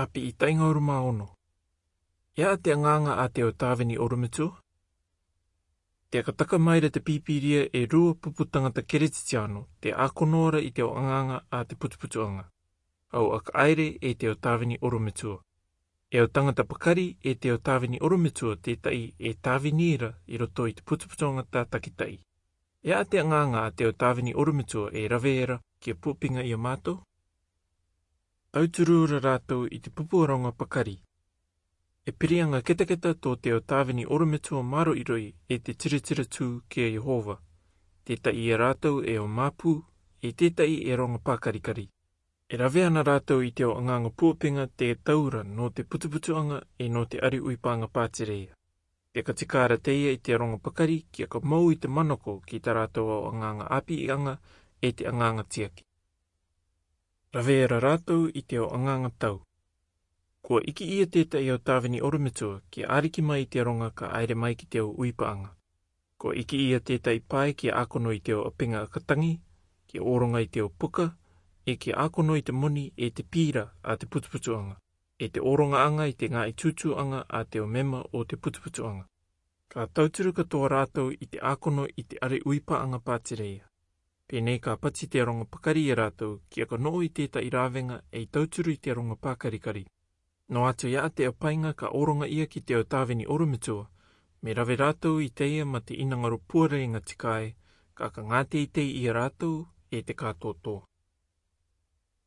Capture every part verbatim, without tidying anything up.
Api i tainga oruma ono. E a te anganga a te o Tavini Orometua? Te aka taka mai ra te Pīpīria e rua pupu tangata Keretitiano te akono ra i te o anganga a te putuputuanga. Au aka aire e te o Tavini Orometua. E o tangata pakari e te o Tavini Orometua te tai e Tavini ra i roto i te putuputuanga ta takitai. E a te anganga a te o Tavini Orometua e rave era ki a puapinga i a matou? Tauturu ra ratou i te pupu aronga pakari. E pirianga ketaketa to te o Tavini Orometua maro i roi e te tiritira tu ki a Iehova. Te tai i a ratou e o mapu, e te tai e ronga pakarikari. E rave ana ratou i te o anganga puapinga te taura no te putuputuanga e no te ari uipanga patireia. Te katika ra teia i te ronga pakari ki a ka mou i te manako ki ta ratou o anganga api i anga e te anganga tiaki. Rave era ratou i te o anganga tau. Kua iki ia te tai o Tavini Orometua ki a ariki mai i te ronga ka aire mai ki te o uipaanga. Kua iki ia te tai pae ki a akono i te o apinga akatangi, ki a oronga i te o puka, e ki a akono i te moni e te pira a te putuputuanga, e te oronga anga i te ngai tutuanga a te o mema o te putuputuanga. Ka tauturu katoa ratou i te akono i te ari uipaanga patireia. Penei ka pati te ronga pakari ia ratou ki a ka noo i te tai ravenga e i tauturu i te ronga pakarikari. No atu ia te apainga ka oronga ia ki te o Tavini Orometua, me rave ratou i teia ma te inangaro puareinga tikae, ka ka ngate i tei ia ratou e te katotoa.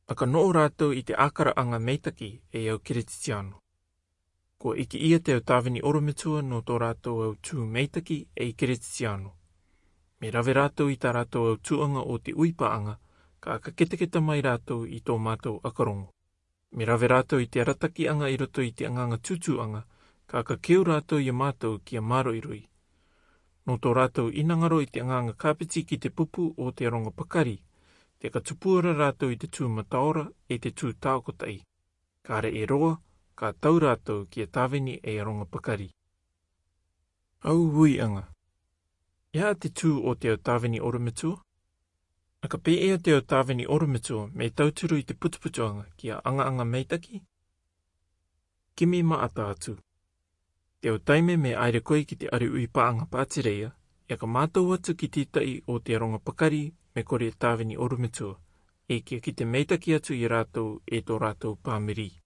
A ka noo ratou i te akaraanga meitaki e au Keretitiano. Kua iki ia te o Tavini Orometua no to ratou au tu meitaki e i Keretitiano. Me rave ratou i ta ratou au tuanga o te uipaanga, ka ka ketaketa mai ratou i to matou akarongo. Me rave ratou i te aratakianga i roto i te anganga tutuanga, ka ka keu ratou ia matou ki a maro i roi. No to ratou inangaro i te anganga kapiti ki te pupu o te ronga pakari, te ka tupua ra ratou i te tu mataora e te tu taokotai. Ka re e roa, ka tau ratou ki a Tavini e a ronga pakari. Au uianga. Ia te tu o te o Tavini Orometua? A ka pe e o te o Tavini Orometua me tauturu i te putuputuanga ki a angaanga meitaki? Kimi ma ata atu. Te o taime me aire koe ki te ari uipaanga patireia, e ka matou atu ki te tai o te ronga pakari me kore Tavini Orometua, e ki a ki te meitaki atu i ratou e to ratou pamiri.